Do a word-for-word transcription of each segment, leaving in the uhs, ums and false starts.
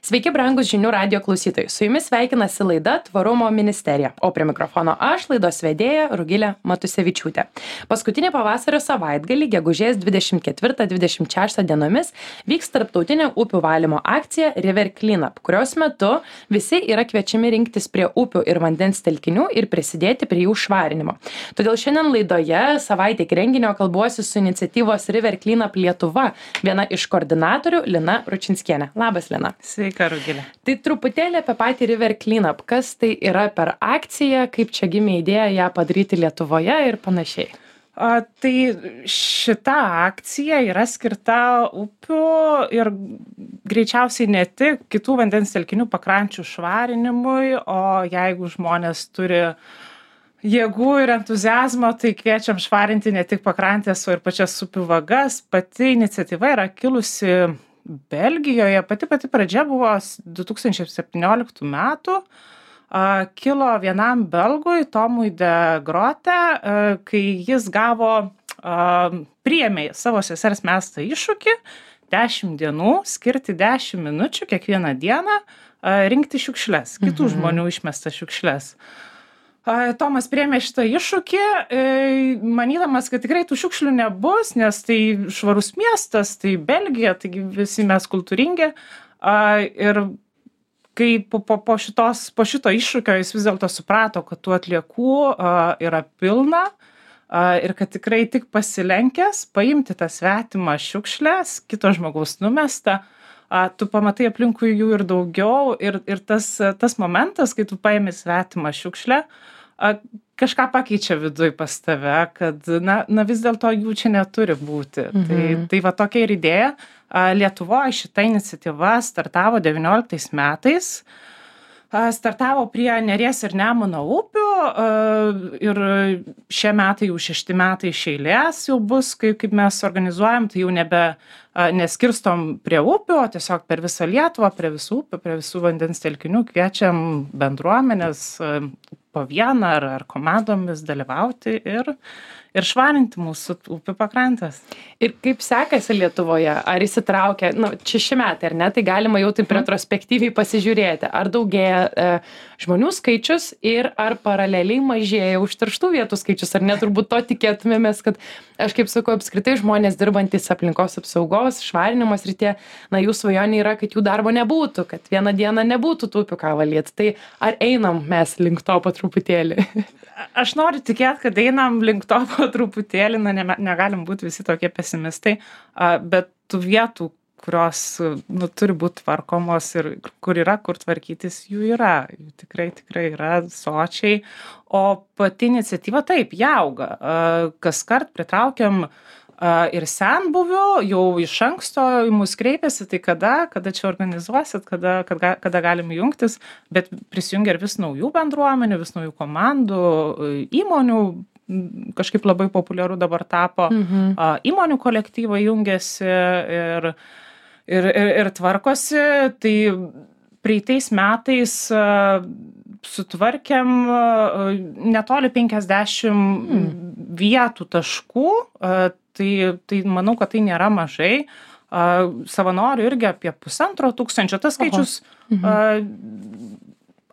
Sveiki, brangus žinių radio klausytojai. Su jumis sveikinasi laida Tvarumo ministerija, o prie mikrofono aš, laidos vedėja Rugilė Matusevičiūtė. Paskutinį pavasario savaitgalį, gegužės dvidešimt ketvirtą dvidešimt šeštą dienomis, vyks tarptautinė upių valymo akcija River Cleanup, kurios metu visi yra kviečiami rinktis prie upių ir vandens telkinių ir prisidėti prie jų švarinimo. Todėl šiandien laidoje savaitė iki renginio kalbuosi su iniciatyvos River Cleanup Lietuva, viena iš koordinatorių Lina Ručinskienė. Labas, Lina. Sveika, Rugilė. Tai truputėlį apie patį River Cleanup. Kas tai yra per akciją, kaip čia gimė idėja ją padaryti Lietuvoje ir panašiai? A, tai šita akcija yra skirta upių ir greičiausiai ne tik kitų vandens telkinių pakrančių švarinimui, o jeigu žmonės turi jėgų ir entuziazmo, tai kviečiam švarinti ne tik pakrantės, o ir pačias upių vagas. Pati iniciatyva yra kilusi Belgijoje, pati pati pradžia buvo du tūkstančiai septynioliktų metų. A, kilo vienam belgui, Tomui de Grote, a, kai jis gavo, a, priėmė savo sesers mestą iššūkį dešimt dienų, skirti dešimt minučių kiekvieną dieną a, rinkti šiukšles, kitų Mhm. žmonių išmestas šiukšles. Tomas priėmė šitą iššūkį, manydamas, kad tikrai tų šiukšlių nebus, nes tai švarus miestas, tai Belgija, taigi visi mes kultūringi. Ir kai po, po, po, šitos, po šito iššūkio jis vis dėlto suprato, kad tų atliekų yra pilna ir kad tikrai tik pasilenkęs paimti tą svetimą šiukšlės, kito žmogaus numestą, tu pamatai aplinkui jų ir daugiau ir, ir tas, tas momentas, kai tu paimi svetimą šiukšlę, kažką pakeičia viduj pas tave, kad na, na vis dėlto jų čia neturi būti. Mhm. Tai, tai va tokia ir idėja. Lietuvoje šita iniciatyva startavo devynioliktais metais. Startavo prie Neries ir Nemuno upių ir šie metai jau šešti metai iš eilės jau bus, kaip, kaip mes organizuojam, tai jau nebe neskirstom prie upių, o tiesiog per visą Lietuvą, prie visų upių, prie visų vandens telkinių kviečiam bendruomenės po vieną ar, ar komandomis dalyvauti ir, ir švarinti mūsų upių pakrantės. Ir kaip sekasi Lietuvoje? Ar įsitraukia, nu, šeši metai, ar ne? Tai galima jau taip retrospektyviai pasižiūrėti, ar daugėja e, žmonių skaičius ir ar paraleliai mažėja užterštų vietų skaičius, ar ne? Turbūt to tikėtumėmės, kad aš kaip sakau, apskritai žmonės dirbantis aplinkos apsaugos, švarinimo srityje, na, jų svajonė yra, kad jų darbo nebūtų, kad vieną dieną nebūtų tų upių ką valyti. Tai ar einam mes link to po truputėlį? Aš noriu tikėti, kad einam link to po truputėlį, na, ne, negalim būti visi tokie pesimistai, bet tų vietų, kurios nu, turi būti tvarkomos ir kur yra, kur tvarkytis, jų yra. Jų tikrai, tikrai yra sočiai. O pati iniciatyva taip, jie auga. Kaskart pritraukiam ir senbuvių, jau iš anksto į mus kreipiasi, tai kada, kada čia organizuosit, kada, kada, kada galim jungtis, bet prisijungia ir vis naujų bendruomenių, vis naujų komandų, įmonių, kažkaip labai populiaru dabar tapo, mhm. įmonių kolektyvai jungiasi ir, ir, ir, ir tvarkosi, tai praeitais metais sutvarkėm netoli penkiasdešimt mhm. vietų taškų, tai, tai manau, kad tai nėra mažai. Savanorių irgi apie pusantro tūkstančio, tas skaičius mhm.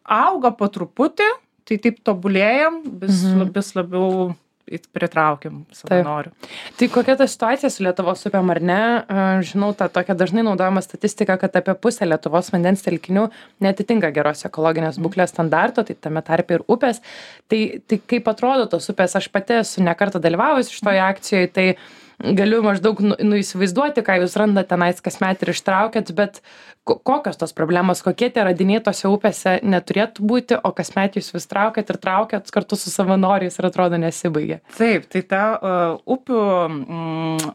auga po truputį, tai taip tobulėjam, vis, mhm. vis labiau pritraukiam savanorių. Taip. Tai kokia ta situacija su Lietuvos upėm, ar ne? Žinau, tą tokią dažnai naudojama statistika, kad apie pusę Lietuvos vandens telkinių netitinka geros ekologinės būklės standarto, tai tame tarpe ir upės. Tai, tai kaip atrodo tos upės, aš pati esu ne kartą dalyvavusi šitoje akcijoje, tai galiu maždaug nu, nu įsivaizduoti, ką jūs randate tenais kasmet ir ištraukėt, bet kokios tos problemos, kokie tie radiniai tose upėse neturėtų būti, o kasmet jūs vis traukėt ir traukėt kartu su savanoriais ir atrodo nesibaigia. Taip, tai ta uh, upių mm,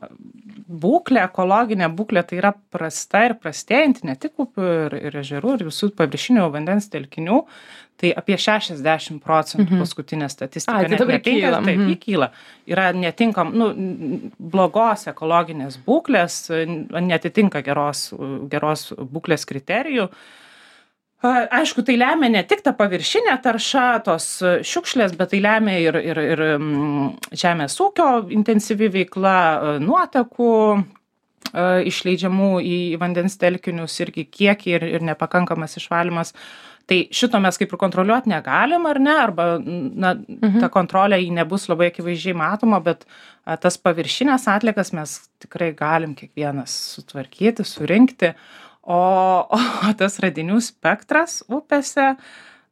būklė, ekologinė būklė, tai yra prasta ir prastėjanti ne tik upių ir, ir ežerų, ir visų paviršinių vandens telkinių. Tai apie šešiasdešimt procentų mhm. paskutinė statistika. A, tai dabar kyla. Taip, jį kyla. Yra netinkam, nu, blogos ekologinės būklės, netitinka geros, geros būklės kriterijų. Aišku, tai lemia ne tik ta paviršinė tarša, tos šiukšlės, bet tai lemia ir, ir, ir žemės ūkio intensyvi veikla, nuotekų išleidžiamų į vandens telkinius irgi kiekį ir, ir nepakankamas išvalymas. Tai šito mes kaip ir kontroliuoti negalim, ar ne, arba na, mhm. ta kontrolė jį nebus labai akivaizdžiai matoma, bet a, tas paviršinės atliekas mes tikrai galim kiekvienas sutvarkyti, surinkti, o, o tas radinių spektras upėse,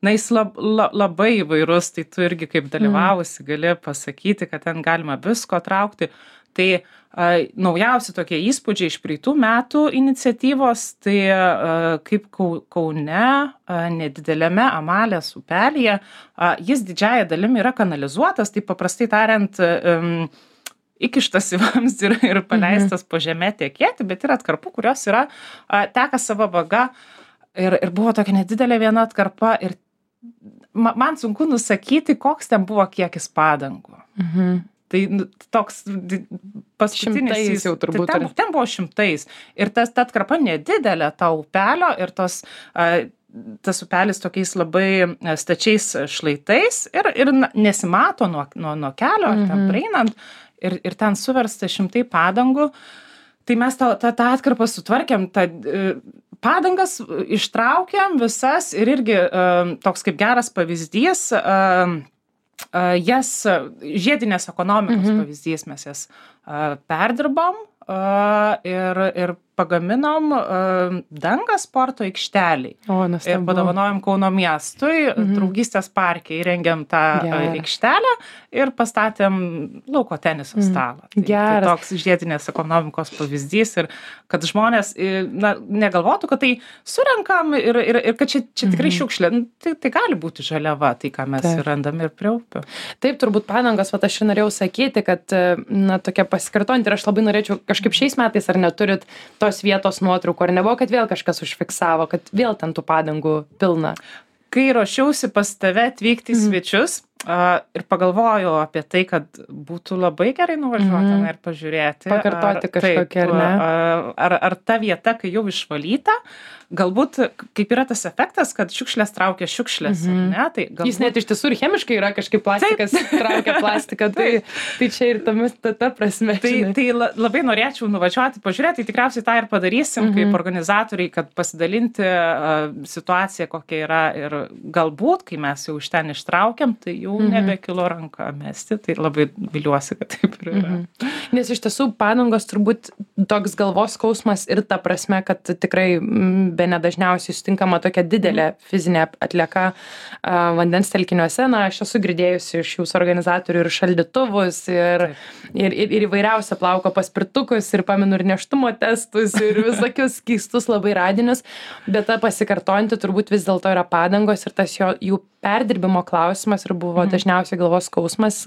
na, jis lab, la, labai įvairus, tai tu irgi kaip dalyvavusi gali pasakyti, kad ten galima visko traukti. Tai a, naujausi tokie įspūdžiai iš praeitų metų iniciatyvos, tai a, kaip Kaune, a, nedideliame Amalės upelyje, a, jis didžiąja dalimi yra kanalizuotas, tai paprastai tariant, um, įkištas į vamzdį ir, ir paleistas mhm. po žemę tekėti, bet yra atkarpų, kurios yra, a, teka savo vaga ir, ir buvo tokia nedidelė viena atkarpa ir ma, man sunku nusakyti, koks ten buvo kiekis padangų. Mhm. Tai toks paskutinis šimtais jau turbūt. Tai ten, ten buvo šimtais. Ir tas, ta atkarpa nedidelė, ta upelio ir tos, tas upelis tokiais labai stačiais šlaitais ir, ir nesimato nuo, nuo, nuo kelio, ar ten praeinant, ir, ir ten suversta šimtai padangų. Tai mes tą, tą, tą atkarpą sutvarkėm, tą padangas ištraukėm visas ir irgi toks kaip geras pavyzdys, Uh, jas žiedinės ekonomikos mhm. pavyzdys, mes jas uh, perdirbom uh, ir, ir pagaminom uh, dangą sporto aikšteliai. O, nuostabu. Ir padovanojom Kauno miestui, mhm. draugystės parke įrengėm tą uh, aikštelę ir pastatėm lauko teniso stalą. Mhm. Tai, tai toks žiedinės ekonomikos pavyzdys ir kad žmonės na, negalvotų, kad tai surenkam ir, ir, ir kad čia, čia tikrai mhm. šiukšlė. Tai, tai gali būti žaliava, tai ką mes Taip. randam ir prie upių. Taip, turbūt padangos, va aš ir norėjau sakyti, kad na, tokia pasikartojant ir aš labai norėčiau kažkaip šiais metais ar neturit tos vietos nuotraukų, ar nebuvo, kad vėl kažkas užfiksavo, kad vėl ten tų padangų pilna? Kai ruošiausi pas tave atvykti į svečius uh, ir pagalvojau apie tai, kad būtų labai gerai nuvažiuoti mm. ir pažiūrėti. Pakartoti kažkokią, ar ne? Ar, ar, ar ta vieta, kai jau išvalyta, galbūt kaip yra tas efektas, kad šiukšlės traukia šiukšlės, mm-hmm. ne? Tai galbūt... Jis net iš tiesų ir chemiškai yra kažkaip plastikas traukia plastiką, tai, tai čia ir tamis, ta, ta prasme. Tai, tai labai norėčiau nuvažiuoti, pažiūrėti, tai tikriausiai tą ir padarysim mm-hmm. kaip organizatoriai, kad pasidalinti uh, situaciją, kokia yra ir galbūt, kai mes jau iš ten ištraukiam, tai jau mm-hmm. nebekilo ranka mesti, tai labai viliuosi, kad taip ir yra. Mm-hmm. Nes iš tiesų padangos turbūt toks galvos skausmas ir ta prasme, kad tikrai bene dažniausiai sutinkama tokia didelė fizinė atlieka uh, vandens telkiniuose. Na, aš esu girdėjusi iš jūsų organizatorių ir šaldytuvus, ir, ir, ir, ir įvairiausią plauko paspirtukus, ir pamenu ir nėštumo testus, ir visokius keistus labai radinius, bet ta pasikartojanti turbūt vis dėlto yra padangos ir tas jo, jų perdirbimo klausimas ir buvo mm. dažniausiai galvos skausmas.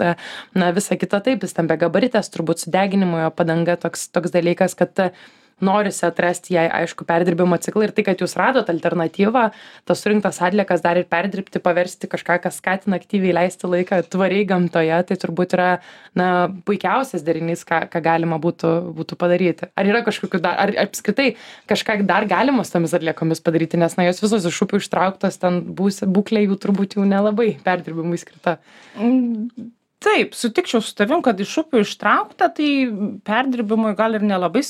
Na, visa kita taip, jis tam begabaritės, turbūt sudeginimo jo padanga toks, toks dalykas, kad norisi atrasti jai, aišku, perdirbimo ciklą ir tai, kad jūs radot alternatyvą, tas surinktas atliekas dar ir perdirbti, paversti kažką, kas skatina aktyviai leisti laiką tvariai gamtoje, tai turbūt yra, na, puikiausias derinys, ką, ką galima būtų, būtų padaryti. Ar yra kažkokiu dar, ar apskritai kažką dar galima su tomis atliekomis padaryti, nes, na, jos visos iš upių ištrauktos, ten būs, būklė jų turbūt jau nelabai perdirbimui skirta. Mm. Taip, sutikčiau su tavim, kad iš upių ištraukta, tai perdirbimui gal ir nelabai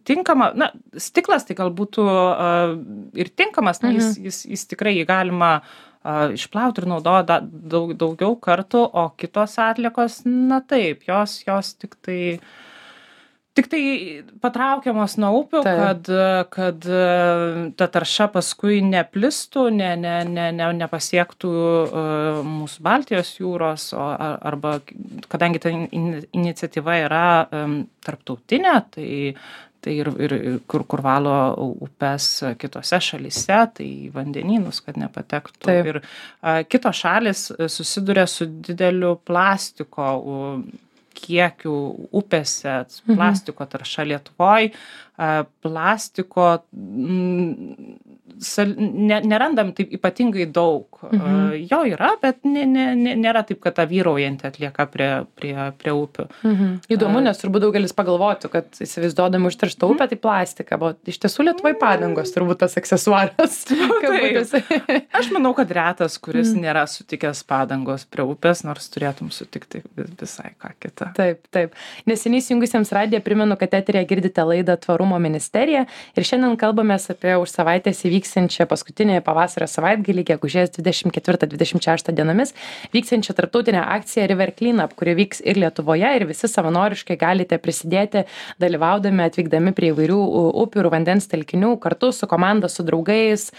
tinkama. Na, stiklas tai gal būtų uh, ir tinkamas, na, jis, jis, jis tikrai jį galima uh, išplauti ir naudoti daug, daugiau kartų, o kitos atliekos, na taip, jos, jos tik tai... Tik tai patraukiamos nuo upių, kad, kad ta tarša paskui neplistų, ne, ne, ne, ne, nepasiektų uh, mūsų Baltijos jūros, o, arba kadangi ta in, iniciatyva yra um, tarptautinė, tai, tai ir, ir kur, kur valo upes kitose šalyse, tai vandenynus, kad nepatektų. Taip. Ir uh, kitos šalis susiduria su dideliu plastiko uh, kiekių upėse, plastiko tarša Lietuvoj, plastiko sal, ne, nerandam taip ypatingai daug. Mhm. Jo yra, bet ne, ne, ne, nėra taip, kad ta vyraujanti atlieka prie, prie, prie upių. Mhm. Įdomu, nes turbūt daugelis pagalvotų, kad įsivaizduodami užterštą upę, tai plastika, bet iš tiesų Lietuvoje padangos turbūt tas aksesuaras. Aš manau, kad retas, kuris mm. nėra sutikęs padangos prie upės, nors turėtum sutikti visai ką kitą. Taip, taip. Neseniai įsijungusiems radiją primenu, kad eterėje girdite laidą Tvarumo ministerija ir šiandien kalbamės apie už savaitės įvyksiančią paskutinį pavasario savaitgalį, gegužės dvidešimt ketvirtą dvidešimt šeštą dienomis, vyksiančią tarptautinę akciją River Cleanup, kuri vyks ir Lietuvoje ir visi savanoriškai galite prisidėti, dalyvaudami, atvykdami prie įvairių upių ir vandens telkinių, kartu su komanda, su draugais,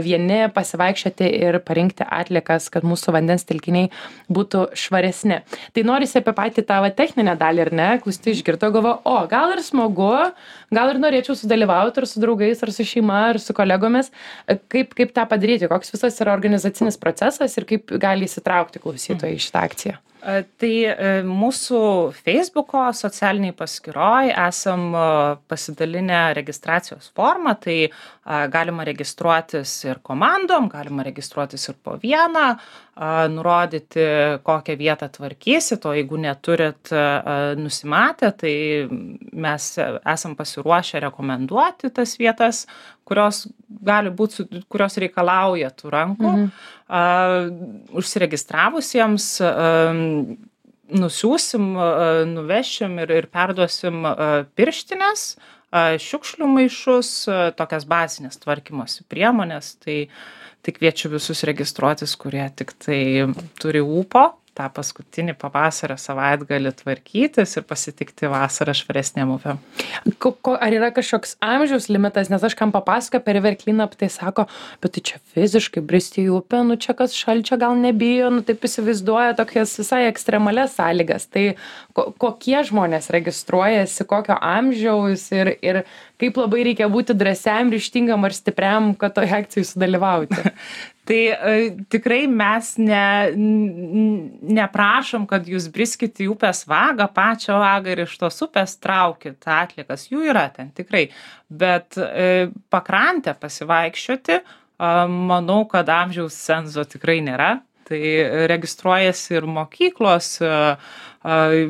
vieni pasivaikščioti ir parinkti atliekas, kad mūsų vandens telkiniai būtų švaresni. Tai norisi apie patį tą techninę dalį, ar ne? Klausytojai išgirdo, galvo, o gal ir smagu, gal ir norėčiau sudalyvauti ar su draugais, ar su šeima, ar su kolegomis. Kaip, kaip tą padaryti? Koks visas yra organizacinis procesas ir kaip gali įsitraukti klausytojai į šitą akciją? Tai mūsų Facebooko socialiniai paskyroj esam pasidalinę registracijos formą, tai galima registruotis ir komandom, galima registruotis ir po vieną, nurodyti, kokią vietą tvarkysit, o jeigu neturit nusimatę, tai mes esam pasiruošę rekomenduoti tas vietas, kurios gali būti, kurios reikalauja tų rankų. Mhm. Uh, užsiregistravusiems uh, nusiųsim, uh, nuvešim ir, ir perduosim uh, pirštines, uh, šiukšlių maišus, uh, tokias bazinės tvarkymosi priemonės. Tai, tai kviečiu visus registruotis, kurie tik tai turi ūpo tą paskutinį pavasario savaitgalį tvarkytis ir pasitikti vasarą švaresnėm upėm. Ar yra kažkoks amžiaus limitas, nes aš kam papasakoju per River Cleanup, tai sako, bet tai čia fiziškai bristi į upę, nu čia kas šalčio gal nebijo, nu taip įsivaizduoja tokias visai ekstremalias sąlygas. Tai ko, kokie žmonės registruojasi, kokio amžiaus ir, ir kaip labai reikia būti drąsiam, ryžtingam ar stipriam, kad toje akcijoje sudalyvauti? Tai e, tikrai mes ne, neprašom, kad jūs briskit į upės vagą, pačią vagą ir iš tos upės traukit atliekas. Jų yra ten tikrai. Bet e, pakrantę pasivaikščioti, e, manau, kad amžiaus cenzo tikrai nėra. Tai registruojasi ir mokyklos, e, e,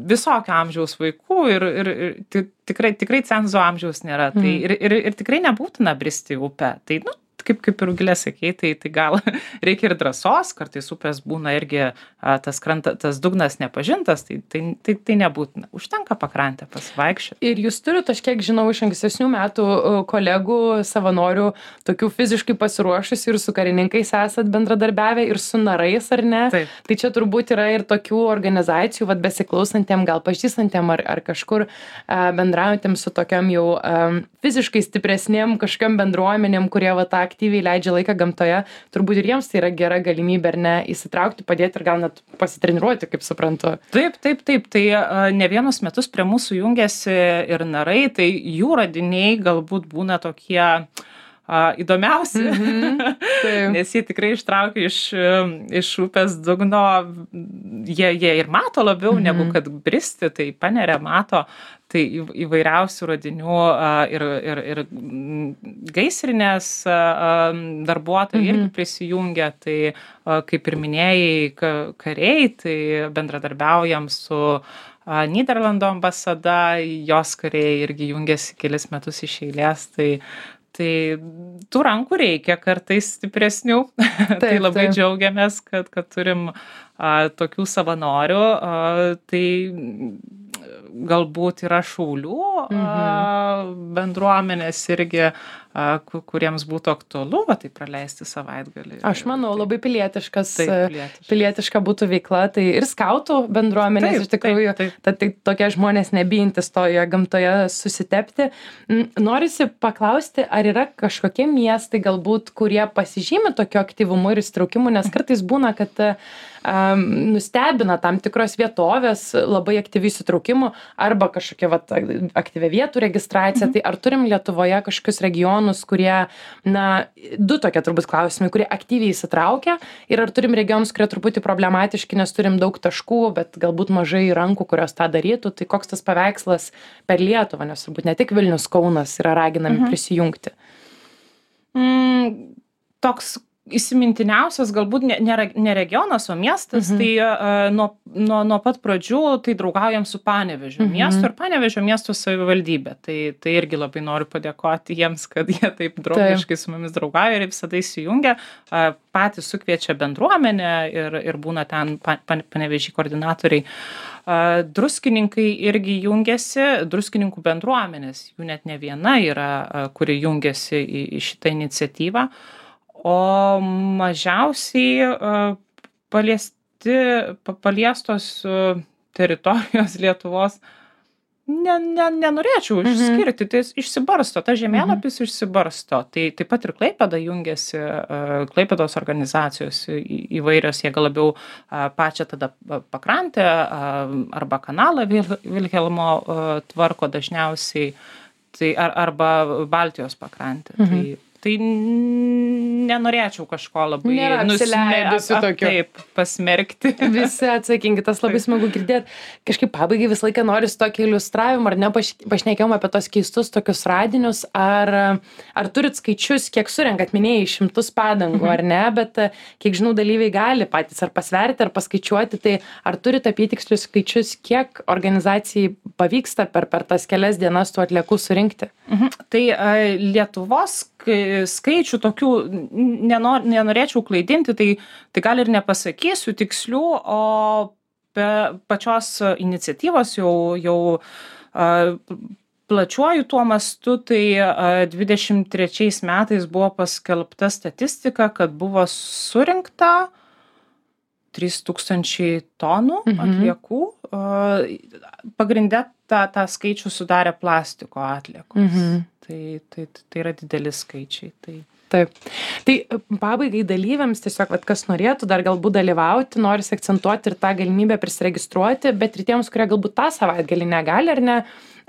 visokio amžiaus vaikų ir, ir, ir tikrai, tikrai cenzo amžiaus nėra. Mm. Tai ir, ir, ir tikrai nebūtina bristi į upę. Tai, nu, kaip, kaip ir Rugilė sakei, tai, tai gal reikia ir drąsos, kartais upės būna irgi a, tas, kranta, tas dugnas nepažintas, tai, tai, tai, tai nebūtina. Užtenka pakrantę pasivaikščioti. Ir jūs turite, aš kiek žinau, iš ankstesnių metų kolegų, savanorių, tokių fiziškai pasiruošusių ir su karininkais esat bendradarbiavę ir su narais, ar ne? Taip. Tai čia turbūt yra ir tokių organizacijų, vat besiklausantiem, gal pažįstantiem ar, ar kažkur a, bendraujantiem su tokiam jau a, fiziškai stipresniem kažkokiam bendruomenėm, kurie va tą aktyviai leidžia laiką gamtoje, turbūt ir jiems tai yra gera galimybė, ar ne, įsitraukti, padėti ir gal net pasitreniruoti, kaip suprantu. Taip, taip, taip. Tai uh, ne vienus metus prie mūsų jungiasi ir narai, tai jų radiniai galbūt būna tokie uh, įdomiausi, mm-hmm. nes jie tikrai ištraukia iš, iš upės dugno, jie, jie ir mato labiau mm-hmm. negu kad bristi, tai paneria, mato. Tai įvairiausių radinių ir, ir, ir gaisrinės darbuotojai mm-hmm. irgi prisijungia, tai kaip ir minėjai kariai, tai bendradarbiaujam su Nyderlandų ambasada, jos kariai irgi jungiasi kelis metus iš eilės, tai Tai tų rankų reikia kartais stipresnių. Taip, tai labai taip. Džiaugiamės, kad, kad turim a, tokių savanorių. A, tai galbūt yra šaulių mhm. a, bendruomenės irgi, a, kuriems būtų aktualu, va, tai praleisti savaitgalį. Aš manau, labai pilietiškas, taip, pilietiška. pilietiška būtų veikla. Tai ir skautų bendruomenės, taip, iš tikrųjų, taip, taip. Ta, tai tokie žmonės nebijantis toje gamtoje susitepti. Norisi paklausti, ar yra kažkokie miestai galbūt, kurie pasižymi tokiu aktyvumu ir įsitraukimu, nes kartais būna, kad um, nustebina tam tikros vietovės labai aktyvių įsitraukimų arba kažkokia vat, aktyvia vietų registracija. Mhm. Tai ar turim Lietuvoje kažkokius regionus, kurie, na, du tokie turbūt klausimai, kurie aktyviai įsitraukia ir ar turim regionus, kurie truputį problematiški, nes turim daug taškų, bet galbūt mažai rankų, kurios tą darytų. Tai koks tas paveikslas per Lietuvą, nes turbūt ne tik Vilnius, Kaunas yra raginami mhm. prisijungti. Mm, toks įsimintiniausias galbūt ne, ne, ne regionas, o miestas, mhm. tai uh, nuo, nuo, nuo pat pradžių tai draugaujam su Panevėžio mhm. miestu ir Panevėžio miesto savivaldybė. Tai, tai irgi labai noriu padėkoti jiems, kad jie taip draugiškai taip. Su mumis draugauja ir visada įsijungia. Uh, patys sukviečia bendruomenę ir, ir būna ten pa, pa, Panevėžį koordinatoriai. Uh, druskininkai irgi jungiasi, druskininkų bendruomenės, jų net ne viena yra, uh, kuri jungiasi į, į šitą iniciatyvą. O mažiausiai uh, paliesti, pa, paliestos uh, teritorijos Lietuvos ne, ne, nenorėčiau mhm. išskirti, tai išsibarsto, ta žemėlapis mhm. išsibarsto. Tai taip pat ir Klaipėda jungiasi, uh, Klaipėdos organizacijos į, įvairios, jie gal labiau uh, pačią tada pakrantę uh, arba kanalą Vil, Vilhelmo uh, tvarko dažniausiai, tai, ar, arba Baltijos pakrantę. Mhm. Tai, Tai nenorėčiau kažko labai nusileidusiu tokiu. Taip, pasmerkti. Visi atsakingi, tas labai smagu girdėti. Kažkaip pabaigai visą laiką noriu su tokį iliustravimą, ar ne, pašnekėjom apie tos keistus tokius radinius, ar, ar turit skaičius, kiek surenkat, minėjai šimtus padangų, mhm. ar ne, bet kiek žinau, dalyviai gali patys ar pasverti, ar paskaičiuoti, tai ar turit apytikslius skaičius, kiek organizacijai pavyksta per, per tas kelias dienas tų atliekų surinkti? Mhm. Tai a, Lietuvos skaičių tokių nenor, nenorėčiau klaidinti, tai, tai gal ir nepasakysiu tikslių, o be pačios iniciatyvos jau, jau a, plačiuoju tuo mastu, tai a, dvidešimt trečiais metais buvo paskelbta statistika, kad buvo surinkta trys tūkstančiai tonų mhm. atliekų. A, pagrinde tą, tą skaičių sudarė plastiko atliekos. Mhm. Tai, tai, tai yra dideli skaičiai. Tai... Taip. Tai pabaigai dalyviams tiesiog, vat, kas norėtų dar galbūt dalyvauti, norisi akcentuoti ir tą galimybę prisiregistruoti, bet ir tiems, kurie galbūt tą savaitgalį negali ar ne,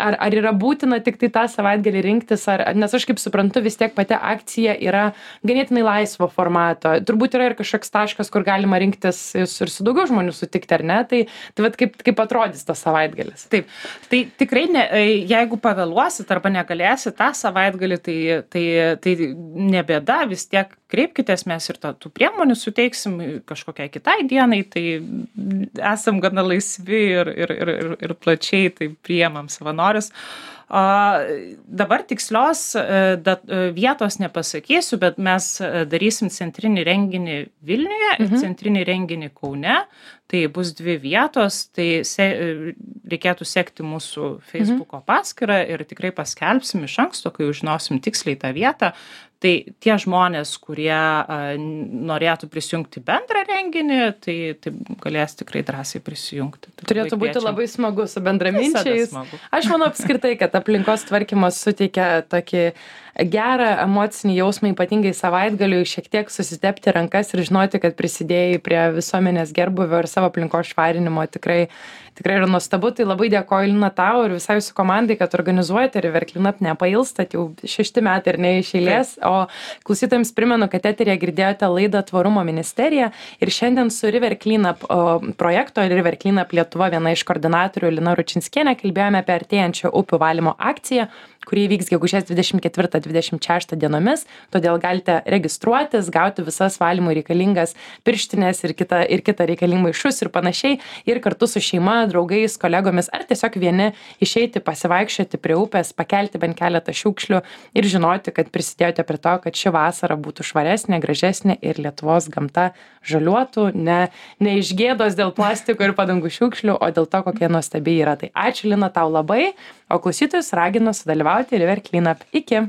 ar, ar yra būtina tik tai tą savaitgalį rinktis, ar, nes aš kaip suprantu, vis tiek pati akcija yra ganėtinai laisvo formato. Turbūt yra ir kažkoks taškas, kur galima rinktis ir su daugiau žmonių sutikti, ar ne? Tai, tai vat, kaip, kaip atrodys tas savaitgalis? Taip, tai tikrai, ne, jeigu pavėluosit arba negalėsit tą savaitgalį, tai, tai, tai nebėda, vis tiek kreipkitės, mes ir tą, tų priemonių suteiksim kažkokiai kitai dienai, tai esam gana laisvi ir, ir, ir, ir, ir plačiai tai priemam savanorius. Uh, dabar tikslios uh, dat, uh, vietos nepasakysiu, bet mes uh, darysim centrinį renginį Vilniuje mhm. ir centrinį renginį Kaune. Tai bus dvi vietos, tai se, reikėtų sekti mūsų Facebooko mhm. paskyrą ir tikrai paskelbsim iš anksto, kai žinosim tiksliai tą vietą. Tai tie žmonės, kurie uh, norėtų prisijungti bendrą renginį, tai, tai galės tikrai drąsiai prisijungti. Tai turėtų būti labai smagu su bendraminčiais. Aš manau apskritai, kad aplinkos tvarkymas suteikia tokį gerą emocinį jausmą, ypatingai savaitgaliui, šiek tiek susitepti rankas ir žinoti, kad prisidėjai prie visuomenės gerbuvio ir savo aplinkos švarinimo. Tikrai, tikrai yra nuostabu. Tai labai dėkoju, Lina, tau ir visai jūsų komandai, kad organizuojate River Cleanup, nepailstat jau šešti metai ir ne iš eilės. O klausytojams primenu, kad eteryje girdėjote laidą Tvarumo ministerija ir šiandien su River Cleanup projekto River Cleanup Lietuva viena iš koordinatorių Lina Ručinskienė kalbėjome apie artėjančią upių valymo akciją, kuri vyks gegužės dvidešimt ketvirtą dvidešimt šeštą dienomis, todėl galite registruotis, gauti visas valymui reikalingas pirštinės ir kitą, ir kitą reikalingą maišus ir panašiai, ir kartu su šeima, draugais, kolegomis, ar tiesiog vieni išeiti, pasivaikščioti prie upės, pakelti bent keletą šiukšlių ir žinoti, kad prisidėjote prie to, kad ši vasara būtų švaresnė, gražesnė ir Lietuvos gamta žaliuotų, ne, ne iš gėdos dėl plastiko ir padangų šiukšlių, o dėl to, kokie nuostabiai yra. Tai ačiū, Lina, tau labai, o klausytojus raginu sudalyvauti River Cleanup. Iki.